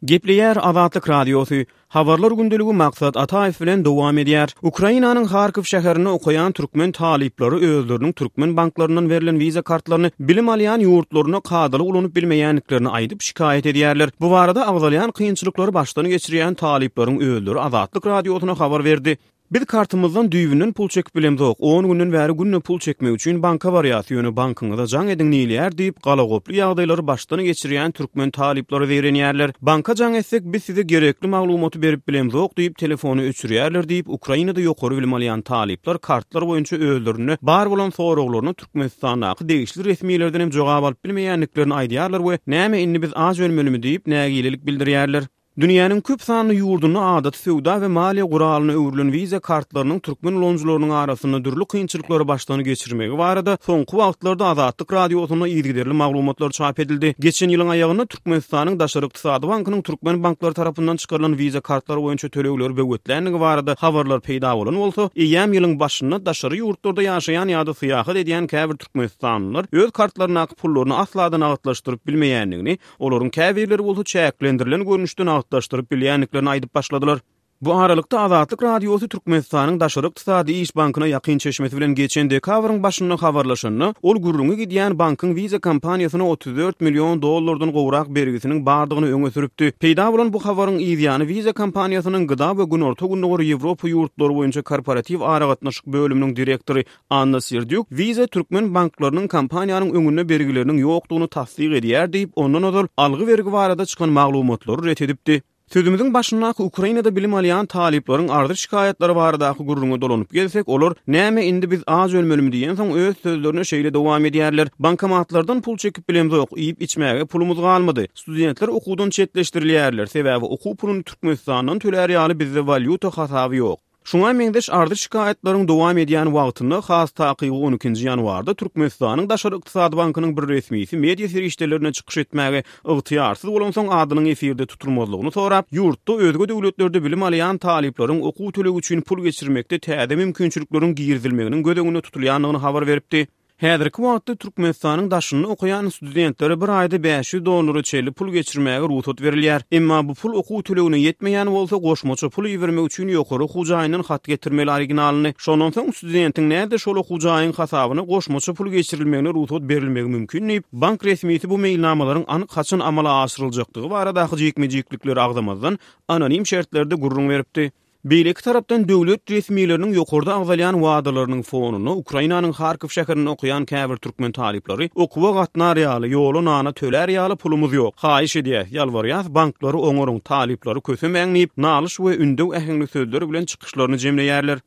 Gepleýär Azatlyk Radiosy, Habarlar gündeligi Maksat Ataýew bilen dowam edýär. Ukrainanyň Harkow şäherinde okaýan türkmen talyplary özleriniň türkmen banklaryndan berlen wiza kartlaryny bilim alýan ýurtlarynda kadaly ulanyp bilmeýändiklerini aýdyp, şikaýat edýärler. Bu barada agzalýan kynçylyklary başdan geçirýän talyplaryň özleri Azatlyk Radiosyna habar berdi. Biz kartymyzdan düýbünden pul çekip bilemzok, on günden bäri günde pul çekmek üçin banka barýas, ýöne bankyňyza jaň ediň diýilýär diýip, galagoply ýagdaýlary başdan geçirýän türkmen talyplary zeýrenýärler. Banka jaň etsek, biz size gerekli maglumaty berip bilemzok diýip, telefony öçürýärler diýip, Ukrainada ýokary bilim alýan talyplar kartlar boýunça özlerinde bar bolan soraglaryna Türkmenistandaky degişli resmilerden hem jogap alyp bilmeýändiklerini aýdýarlar we näme indi biz aç ölmelimi diýip, nägilelik bildirýärler. Dünýäniň köp sanly ýurdunda adaty söwda we maliýe guralyna öwrülen Visa kartlarynyň türkmen ulanyjylarynyň arasynda dürli kynçylyklary başdan geçirmegi barada soňky wagtlarda Azatlyk Radiosynda yzygiderli maglumatlar çap edildi. Geçen ýylyň aýagynda Türkmenistanyň Daşary ykdysady bankynyň türkmen banklary tarapyndan çykarylan Visa kartlary boýunça tölegleri böwetlänligi barada habarlar peýda bolan bolsa, eýýäm ýylyň başynda daşary ýurtlarda ýaşaýan ýa-da syýahat edýän käbir türkmenistanlylar öz kartlaryndaky pullaryny asla-da nagtlaşdyryp bilmeýändigini Olaryň käbirleri bolsa çäklendirilen görnüşde nagtlaşdyryp bilýändiklerini aýdyp başladylar. Bu aralykda, Azatlyk Radiosy Türkmenistanyň Daşary ykdysady iş bankyna ýakyn çeşmesi bilen geçen dekabryň başynda habarlaşanda, ol gürrüňi gidýän bankyň Visa kompaniýasyna 34 million dollardan gowrak bergisiniň bardygyny öňe sürüpdi. Peýda bolan bu habaryň yzýany Visa kompaniýasynyň GDA we Günorta-Gündogar Ýewropa ýurtlary boýunça korporatiw aragatnaşyk bölüminiň direktory Anna Serdýuk Visa türkmen banklarynyň kompaniýanyň öňünde bergileriniň ýokdugyny tassyk edýär diýip, ondan ozal algy-bergi barada çykan maglumatlary ret edipdi. Sözümiziň başyndaky Ukrainada bilim alýan talyplaryň arzy-şikaýatlary baradaky gürrüňe dolanyp gelsek, olar Näme indi biz aç ölmelimi diýensoň öz sözlerine şeýle dowam edýärler, Bankomatlardan pul çekip bilemzok, iýip-içmäge pulumyz galmady. Studentler okuwdan çetleşdirilýärler, sebäbi okuw puluny Türkmenistandan tölär ýaly bizde walýuta hasaby ýok. Şuňa meňzeş arzy-şikaýatlaryň dowam edýän wagtynda, has takygy on ikinji ýanwarda Türkmenistanyň Daşary ykdysady bankynyň bir resmisi media serişdelerinde çykyş etmäge ygtyýarsyz bolansoň adynyň efirde tutulmazlygyny sorap, ýurtda özge döwletlerde bilim alýan talyplaryň okuw tölegi üçin pul geçirmekde täze mümkinçilikleriň girizilmeginiň göz öňünde tutulýandygyny habar beripdi. Häzirki wagtda Türkmenistanyň daşynda okaýan studentlere bir aýda 500 dollara çenli pul geçirmäge rugsat berilýär. Emma bu pul okuw tölegine ýetmeýän bolsa, goşmaça pul ibermek üçin ýokary okuw jaýyndan hat getirmeli originalyny. Şondan soň studentiň näde şol okuw jaýyň hasabyna goşmaça pul geçirilmegine rugsat berilmegi mümkin diýip, bank resmisi bu meýilnamalaryň anyk haçan amala aşyryljakdygy baradaky jikme-jiklikleri agzamazdan, anonim şertlerde gürrüň beripdi. Beýleki tarapdan, döwlet resmileriniň ýokarda agzalýan wadalarynyň fonunda, Ukrainanyň Harkow şäherinde okaýan käbir türkmen talyplary okuwa gatnar ýaly, ýola nana tölär ýaly pulumyz ýok, haýyş edýäs, ýalbarýas, banklary oňaryň, talyplary kösemäň diýip, nalyş we ündew äheňli sözler bilen çykyşlaryny jemleýärler.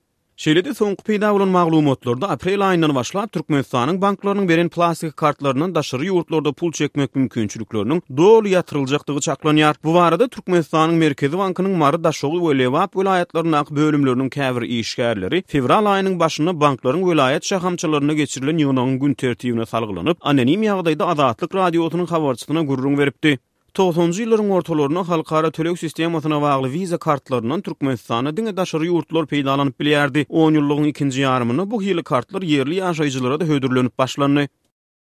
Şeýle-de, soňky peýda bolan maglumatlarda aprel aýyndan başlap Türkmenistanyň banklarynyň beren plastik kartlaryndan daşary ýurtlarda pul çekmek mümkinçilikleriniň doly ýatyryljakdygy çaklanýar. Bu barada Türkmenistanyň Merkezi bankynyň Mary, Daşoguz we Lebap welaýatlaryndaky bölümleriniň käbir işgärleri fewral aýynyň başynda banklaryň welaýat şahamçalarynda geçirilen ýygnagyň gün tertibine salgylanyp, anonim ýagdaýda Azatlyk Radiosynyň habarçysyna gürrüň beripdi. Togsanjy ýyllaryň ortalarynda halkara töleg sistemasyna bagly Visa kartlaryndan Türkmenistanda diňe daşary ýurtlular peýdalanyp bilýärdi. Onýyllygyň ikinji ýarymynda bu hili kartlar ýerli ýaşaýjylara-da hödürlenip başlandy.